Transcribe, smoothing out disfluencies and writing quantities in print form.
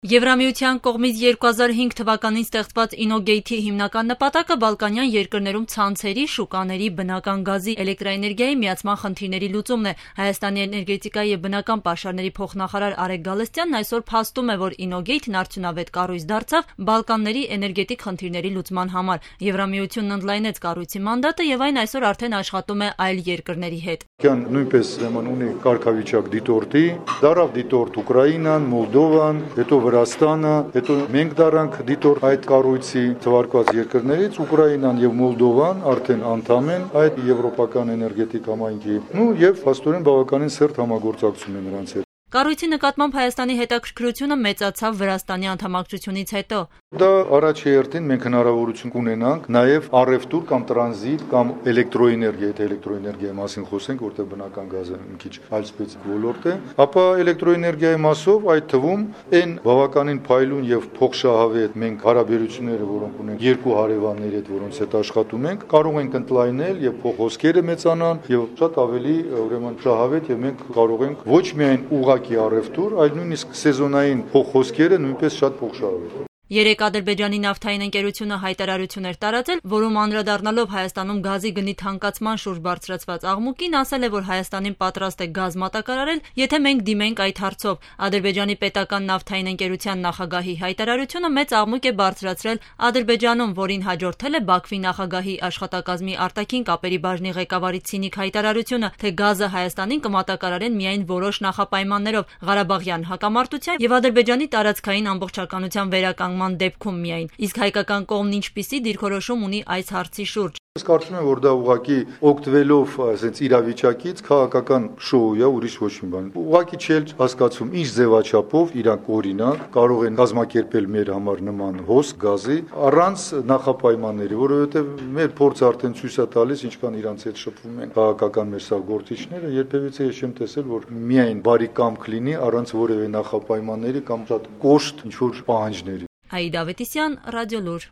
Եվրամիության կողմից 2005 թվականին ստեղծված Իննոգեյթի հիմնական նպատակը Բալկանյան երկրներում ցանցերի, շուկաների, բնական գազի, էլեկտրաէներգիայի միացման խնդիրների լուծումն է։ Հայաստանի էներգետիկայի և բնական պաշարների փոխնախարար Արեգ Գալստյանն այսօր փաստում է, որ Իննոգեյթն արդյունավետ կառույց դարձավ Բալկանների էներգետիկ խնդիրների լուծման համար։ Եվրամիությունն ընդլայնեց կառույցի մանդատը եւ այն այսօր արդեն աշխատում է այլ երկրների հետ։ Նույնպես ունի կարգավիճակ դիտորդի, դարավ դիտորդ Ուկրաինան, Մոլդովան, հետո Վրաստանը, հետո մենք դարանք դիտորդ այդ կառույցի թվարկված երկրներից, Ուկրաինան եւ Մոլդովան արդեն անդամ են այդ եվրոպական էներգետիկ համայնքի, եւ փաստորեն բավականին սերտ համագործակցություն է նրանց հետ։ Կառույցի նկատմամբ Հայաստանի հետաքրքրությունը մեծացավ Վրաստանի անդամակցությունից հետո։ Դա առաջի հերթին մենք հնարավորություն կունենանք նաև առևտուր կամ տրանզիտ կամ էլեկտրոէներգիա, եթե էլեկտրոէներգիայի մասին խոսենք, որտեղ բնական գազը մի քիչ այլ սպეციფიկ ոլորտ է, ապա էլեկտրոէներգիայի մասով այդ թվում այն բավականին փայլուն եւ փոխշահավետ մենք հարաբերությունները, որոնք ունենք երկու հարևանների հետ, որոնց հետ աշխատում ենք, կարող ենք ընդլայնել եւ փոխհոսքերը մեծանան եւ շատ ավելի ուրեմն շահավետ եւ մենք կարող ենք ոչ միայն ուղղակի առևտուր, այլ նույնիսկ սեզոնային փոխհոսքերը նույնպես շատ փոխշահավետ։ Երեկ Ադրբեջանի նավթային ընկերությունը հայտարարություն էր տարածել, որում անդրադառնալով Հայաստանում գազի գնի թանկացման շուրջ բարձրացված աղմուկին, ասել է, որ Հայաստանին պատրաստ է գազ մատակարարել, եթե մենք դիմենք այդ հարցով։ Ադրբեջանի պետական նավթային ընկերության նախագահի հայտարարությունը մեծ աղմուկ է բարձրացրել Ադրբեջանում, որին հաջորդել է Բաքվի նախագահի աշխատակազմի արտաքին կապերի բաժնի ղեկավարի ցինիկ հայտարարությունը, թե գազը Հայաստանին կմատակարարեն միայն որոշ նախապայմաններով՝ Ղարաբաղյան հակամարտության եւ Ադրբեջանի տարածքային ամբողջականության վերականգնման դեպքում միայն, իսկ հայկական կողմն ինչպիսի դիրքորոշում ունի այս հարցի շուրջ։ Ես կարծում եմ, որ դա ուղղակի օգտվելով այսպես իրավիճակից քաղաքական շոու է, ուրիշ ոչ մի բան։ Ուղղակի չէ հասկացում ինչ ձևաչափով իրանք օրինակ կարող են կազմակերպել մեր համար նման հոս գազի առանց նախապայմանների, որովհետև մեր փորձը արդեն ցույց է տալիս, ինչքան իրանց հետ շփվում են քաղաքական մեր սա գործիչները, երբևիցե ես չեմ տեսել, որ միայն բարի կամք լինի առանց որևէ նախապայմանների կամ շատ կոշտ ինչ որ պահանջների։ Աիդա Ավետիսյան, Ռադիոլուր։